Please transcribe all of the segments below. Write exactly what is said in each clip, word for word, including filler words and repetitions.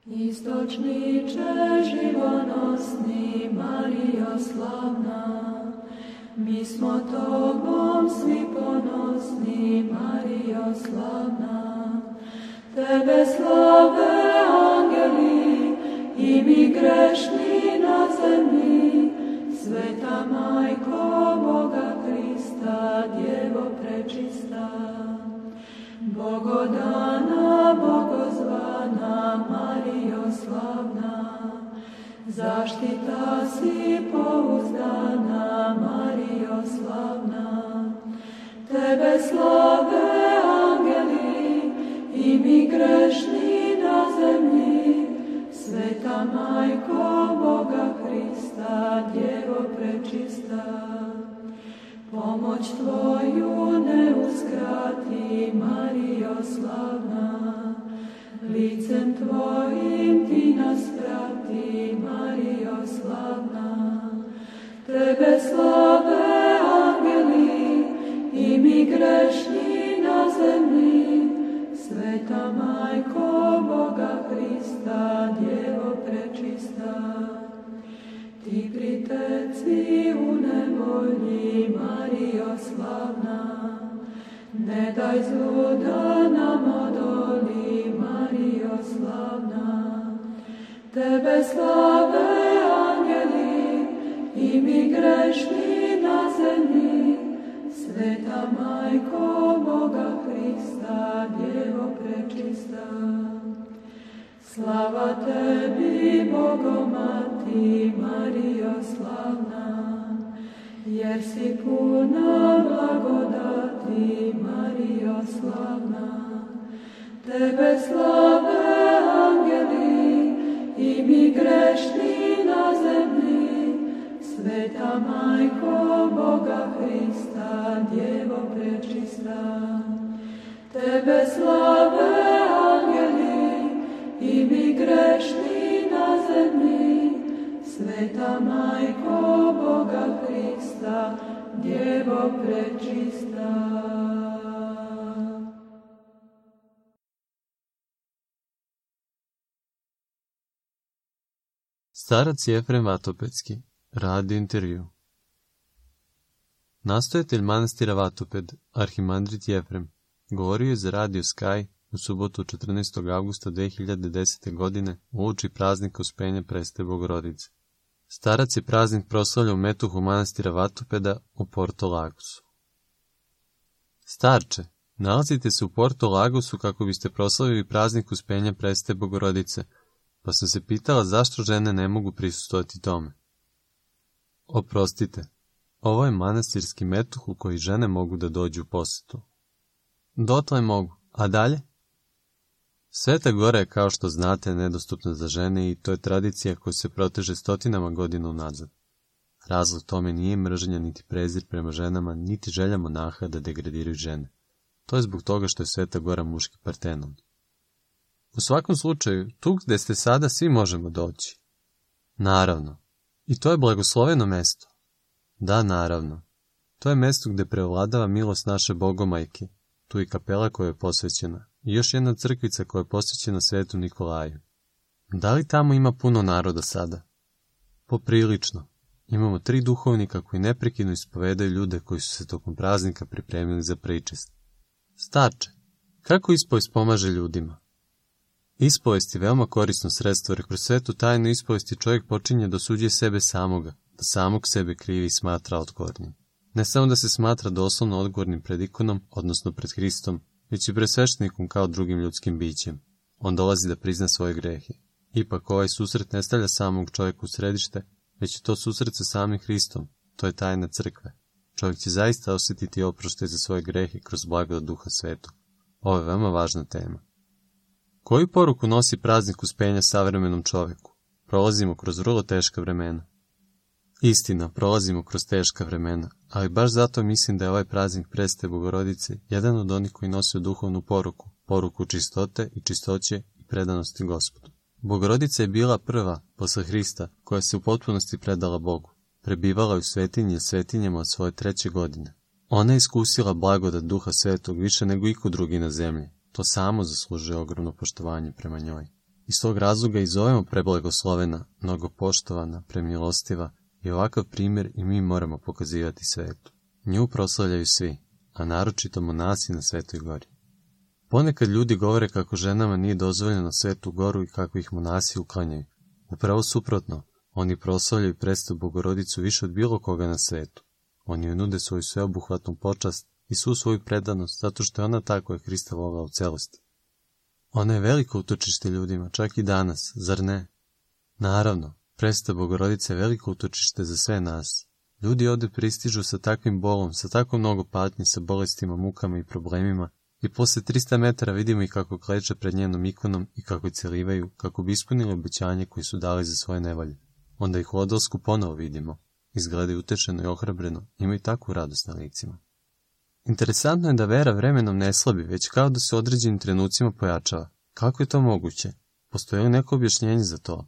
Istočniče živonosni, Marijo slavna, mi smo tobom svi ponosni, Marijo slavna. Tebe slave angeli i mi grešni na zemlji, sveta Majko Boga Hrista, Djevo prečista. Bogodana, bogozvana, Marijo slavna, zaštita si pouzdana, Marijo slavna. Tebe slave angeli i mi grešni na zemlji, sveta Majko Boga Hrista, Djevo prečista. Pomoć tvoju ne uskrati, Marijo slavna, licem tvojim ti nas prati, Marijo slavna. Tebe slave angeli i mi grešni na zemlji, sveta Majko Boga Hrista, Djevo prečista. Ti priteci u nevolji, Marijo slavna, ne daj zlu da nam odoli, Marijo slavna. Tebe slave angeli i mi grešni na zemlji, sveta Majko Boga Hrista, Djevo prečista. Slava tebi, Bogomati, Marijo slavna, jer si puna blagodati, Marijo slavna. Tebe slave angeli i mi grešni na zemlji, sveta Majko Boga Hrista, Djevo prečista. Tebe slave angeli i mi grešni na zemlji, sveta Majko Boga Hrista, Djevo prečista. Starac Jefrem Vatopedski, radio intervju. Nastojatelj manastira Vatoped, arhimandrit Jefrem, govorio je za radio Sky u subotu četrnaestog avgusta dve hiljade desete. godine uoči praznika Uspenja Presvete Bogorodice. Starac je praznik proslavljao u metuhu manastira Vatopeda u Porto Lagosu. Starče, nalazite se u Porto Lagosu kako biste proslavili praznik Uspenja Presvete Bogorodice, pa sam se pitala zašto žene ne mogu prisustvovati tome. Oprostite, ovo je manastirski metuh u koji žene mogu da dođu u posetu. Dotle mogu, a dalje? Sveta Gora je, kao što znate, nedostupna za žene i to je tradicija koja se proteže stotinama godina unazad. Razlog tome nije mržnja niti prezir prema ženama, niti želja monaha da degradiraju žene. To je zbog toga što je Sveta Gora muški Partenon. U svakom slučaju, tu gde ste sada svi možemo doći. Naravno. I to je blagosloveno mesto. Da, naravno. To je mesto gde prevladava milost naše Bogomajke. Tu je kapela koja je posvećena. I još jedna crkvica koja je posvećena Svetu Nikolaju. Da li tamo ima puno naroda sada? Poprilično. Imamo tri duhovnika koji neprekidno ispovedaju ljude koji su se tokom praznika pripremili za pričest. Starče, kako ispovest pomaže ljudima? Ispovest je veoma korisno sredstvo, jer kroz svetu tajnu ispovesti čovjek počinje da osuđuje sebe samoga, da samog sebe krivi i smatra odgovornim. Ne samo da se smatra doslovno odgovornim pred ikonom, odnosno pred Hristom, već i pred sveštenikom kao drugim ljudskim bićem. On dolazi da prizna svoje grehe. Ipak ovaj susret ne stavlja samog čovjeka u središte, već je to susret sa samim Hristom. To je tajna crkve. Čovjek će zaista osjetiti oproštaj za svoje grehe kroz blagodat Duha Svetog. Ovo je veoma važna tema. Koju poruku nosi praznik Uspenja savremenom čovjeku? Prolazimo kroz vrlo teška vremena. Istina, prolazimo kroz teška vremena, ali baš zato mislim da je ovaj praznik Presvete Bogorodice jedan od onih koji nosi duhovnu poruku, poruku čistote i čistoće i predanosti Gospodu. Bogorodica je bila prva, posle Hrista, koja se u potpunosti predala Bogu. Prebivala je u svetinji i svetinjama od svoje treće godine. Ona je iskusila blagodat Duha Svetog više nego iko drugi na zemlji. To samo zaslužuje ogromno poštovanje prema njoj. Iz tog razloga i zovemo preblagoslovena, mnogo poštovana, premilostiva i ovakav primjer i mi moramo pokazivati svetu. Nju proslavljaju svi, a naročito monasi na Svetoj gori. Ponekad ljudi govore kako ženama nije dozvoljeno Svetu goru i kako ih monasi uklanjaju. Upravo suprotno, oni proslavljaju predstavu Bogorodicu više od bilo koga na svetu. Oni joj nude svoju sveobuhvatnu počast i svu svoju predanost, zato što je ona ta koja je Hrista volela u celosti. Ona je veliko utočište ljudima, čak i danas, zar ne? Naravno, predstava Bogorodice je veliko utočište za sve nas. Ljudi ovdje pristižu sa takvim bolom, sa tako mnogo patnje, sa bolestima, mukama i problemima, i posle trista metara vidimo ih kako kleče pred njenom ikonom i kako je celivaju, kako bi ispunili obećanje koje su dali za svoje nevolje. Onda ih u odlasku ponovo vidimo. Izgledaju utešeno i ohrabreno, imaju takvu radost na licima. Interesantno je da vera vremenom ne slabi, već kao da se u određenim trenucima pojačava. Kako je to moguće? Postoji li neko objašnjenje za to?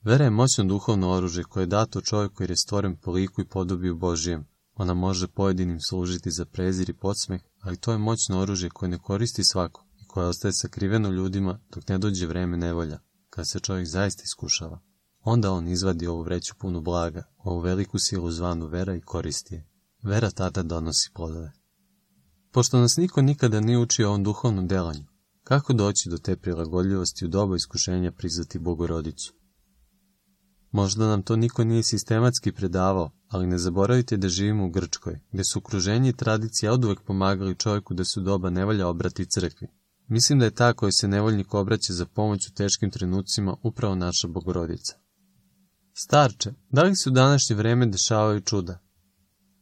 Vera je moćno duhovno oružje koje je dato čovjeku jer je stvoren po liku i podobiju Božijem. Ona može pojedinim služiti za prezir i podsmeh, ali to je moćno oružje koje ne koristi svako i koje ostaje sakriveno ljudima dok ne dođe vreme nevolja, kad se čovjek zaista iskušava. Onda on izvadi ovu vreću punu blaga, ovu veliku silu zvanu vera i koristi je. Vera tada donosi plodove. Pošto nas niko nikada nije učio ovom duhovnom delanju, kako doći do te prilagodljivosti u doba iskušenja prizvati Bogorodicu? Možda nam to niko nije sistematski predavao, ali ne zaboravite da živimo u Grčkoj, gde su okruženje i tradicija oduvek pomagali čovjeku da se u doba nevolja obrati crkvi. Mislim da je ta koja se nevoljnik obraća za pomoć u teškim trenucima upravo naša Bogorodica. Starče, da li se u današnje vreme dešavaju čuda?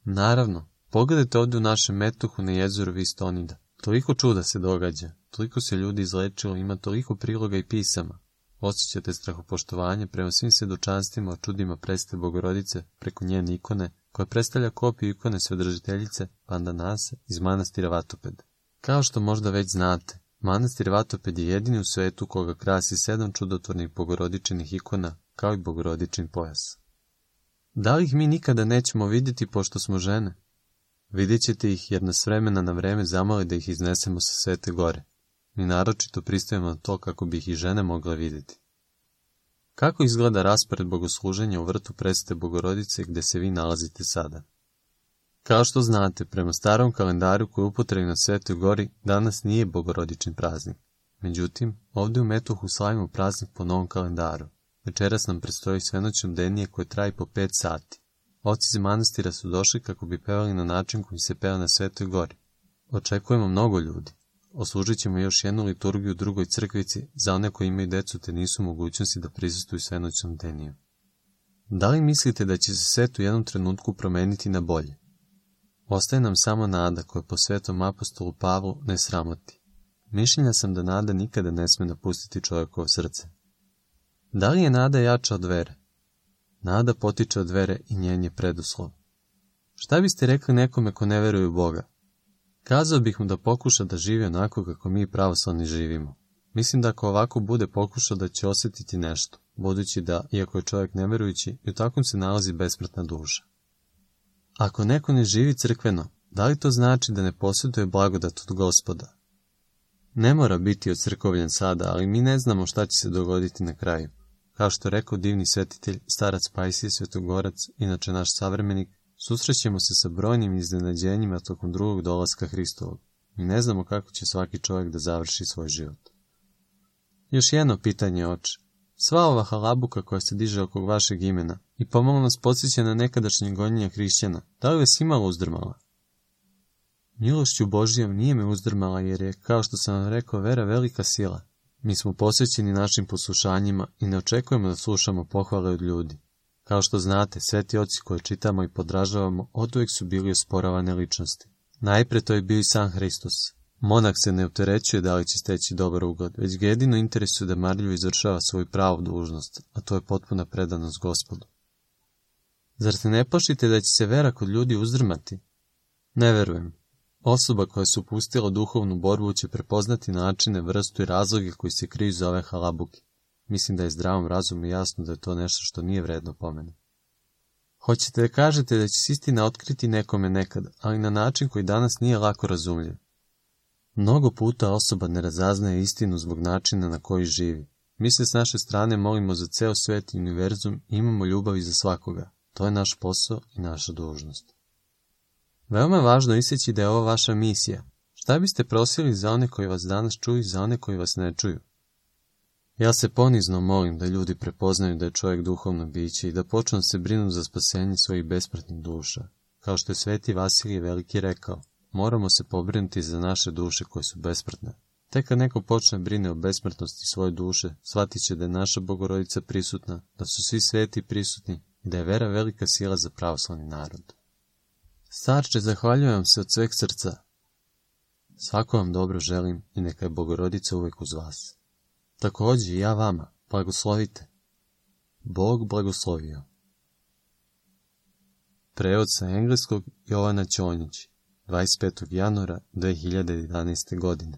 Naravno, pogledajte ovdje u našem metohu na jezeru Vistonida. Toliko čuda se događa, toliko se ljudi izlečilo, ima toliko priloga i pisama. Osjećate strahopoštovanje prema svim svjedočanstvima o čudima predstave Bogorodice preko njene ikone, koja predstavlja kopiju ikone Svedržiteljice Pandanase iz manastira Vatoped. Kao što možda već znate, manastir Vatoped je jedini u svetu koga krasi sedam čudotvornih bogorodičnih ikona, kao i bogorodičin pojas. Da li ih mi nikada nećemo vidjeti pošto smo žene? Vidjet ćete ih jer nas vremena na vreme zamoli da ih iznesemo sa Svete gore. Mi naročito pristajemo na to kako bi ih i žene mogle vidjeti. Kako izgleda raspored bogosluženja u vrtu predstave Bogorodice gdje se vi nalazite sada? Kao što znate, prema starom kalendaru koji je upotrebljen na Svetoj gori, danas nije bogorodičin praznik. Međutim, ovdje u metohu slavimo praznik po novom kalendaru. Večeras nam predstoji svenoćno bdenije koje traje po pet sati. Oci iz manastira su došli kako bi pevali na način koji se peva na Svetoj gori. Očekujemo mnogo ljudi. Oslužit ćemo još jednu liturgiju u drugoj crkvici za one koji imaju decu te nisu u mogućnosti da prisustvuju svenoćnom bdeniju. Da li mislite da će se svet u jednom trenutku promeniti na bolje? Ostaje nam samo nada koja po svetom apostolu Pavlu ne sramoti. Mišljenja sam da nada nikada ne sme napustiti čovjekovo srce. Da li je nada jača od vere? Nada potiče od vere i njen je preduslov. Šta biste rekli nekome ko ne veruje u Boga? Kazao bih mu da pokuša da živi onako kako mi pravoslavni živimo. Mislim da ako ovako bude pokušao da će osjetiti nešto, budući da, iako je čovjek neverujući, i u takvom se nalazi besmrtna duša. Ako neko ne živi crkveno, da li to znači da ne posjeduje blagodat od Gospoda? Ne mora biti ocrkovljen sada, ali mi ne znamo šta će se dogoditi na kraju. Kao što je rekao divni svetitelj, starac Pajsije Svetogorac, inače naš savremenik, susrećemo se sa brojnim iznenađenjima tokom drugog dolaska Hristovog. Mi ne znamo kako će svaki čovjek da završi svoj život. Još jedno pitanje, oče. Sva ova halabuka koja se diže oko vašeg imena i pomalo nas podsjeća na nekadašnje gonjenja hrišćana, da li vas imalo uzdrmala? Milošću Božijom nije me uzdrmala jer je, kao što sam vam rekao, vera velika sila. Mi smo posvećeni našim poslušanjima i ne očekujemo da slušamo pohvale od ljudi. Kao što znate, sveti oci koje čitamo i podražavamo oduvijek su bili osporavane ličnosti. Najpre to je bio i sam Hristos. Monak se ne opterećuje da li će steći dobar ugled, već ga jedino interesuje da marljivo izvršava svoju pravu dužnost, a to je potpuna predanost Gospodu. Zar se ne plašite da će se vera kod ljudi uzdrmati? Ne verujem. Osoba koja se upustila u duhovnu borbu će prepoznati načine, vrstu i razloge koji se kriju za ove halabuke. Mislim da je zdravom razumu jasno da je to nešto što nije vredno pomene. Hoćete da kažete da će se istina otkriti nekome nekad, ali na način koji danas nije lako razumljiv. Mnogo puta osoba ne razaznaje istinu zbog načina na koji živi. Mi se s naše strane molimo za ceo svet i univerzum i imamo ljubav i za svakoga. To je naš posao i naša dužnost. Veoma je važno istaći da je ovo vaša misija. Šta biste prosili za one koji vas danas čuju i za one koji vas ne čuju? Ja se ponizno molim da ljudi prepoznaju da je čovjek duhovno biće i da počnu se brinu za spasenje svojih besmrtnih duša. Kao što je Sveti Vasilije Veliki rekao, moramo se pobrinuti za naše duše koje su besmrtne. Tek kad neko počne brine o besmrtnosti svoje duše, shvatit će da je naša Bogorodica prisutna, da su svi sveti prisutni i da je vera velika sila za pravoslavni narod. Starče, zahvaljujem vam se od sveg srca. Svako vam dobro želim i neka je Bogorodica uvek uz vas. Također i ja vama, blagoslovite. Bog blagoslovio. Prevod sa engleskog Jovana Ćonjić, dvadeset petog januara dve hiljade jedanaeste. godine.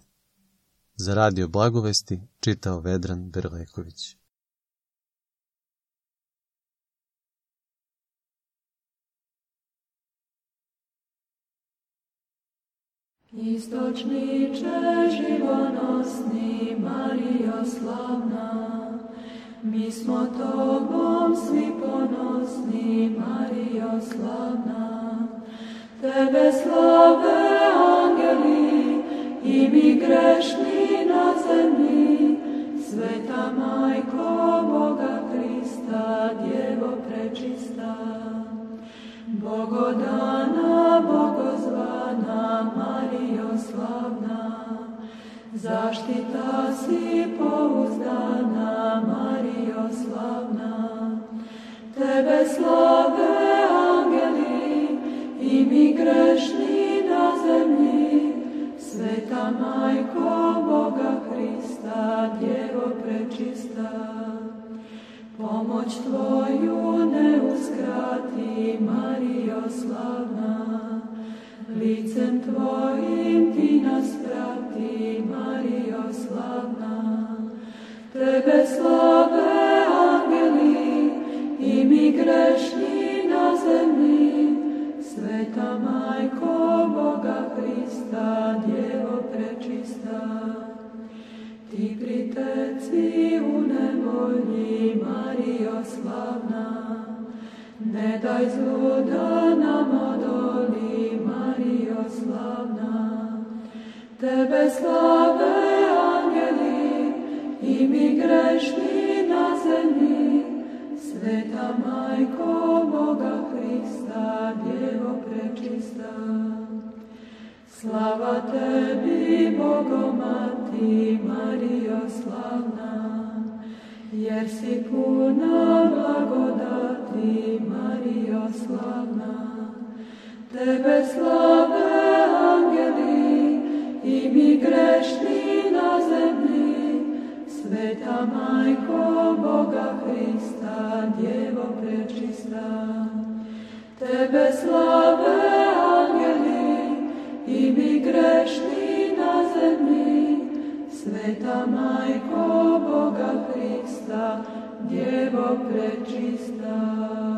Za radio Blagovesti čitao Vedran Berleković. Istočniče živonosni, Marijo slavna, mi smo tobom svi ponosni, Marijo slavna. Tebe slave angeli i mi grešni na zemlji, sveta majko Boga Krista, Djevo prečista. Bogodana, bogozvana, Marijo slavna, zaštita si pouzdana, Marijo slavna. Tebe slave angeli i mi grešni na zemlji, sveta majko Boga Krista, Djevo prečista. Pomoć tvoju ne uskrati, Marijo slavna, licem tvojim ti nas prati, Marijo slavna. Tebe slave angeli i mi grešni na zemlji, sveta majko Boga Krista, Djevo prečista. Ti priteci u nevolji, Marijo slavna, ne daj zlu da nam odoli, Marijo slavna. Tebe slave angeli i mi grešni na zemlji, sveta majko Boga Krista, Djevo prečista. Slava tebi, Bogomati, Marijo slavna, jer si puna blagodati, Marijo slavna. Tebe slave angeli i mi grešni na zemlji, sveta majko Boga Krista, Djevo prečista. Tebe slave angeli i mi grešni na zemlji, sveta majko Boga Krista, Djevo prečista.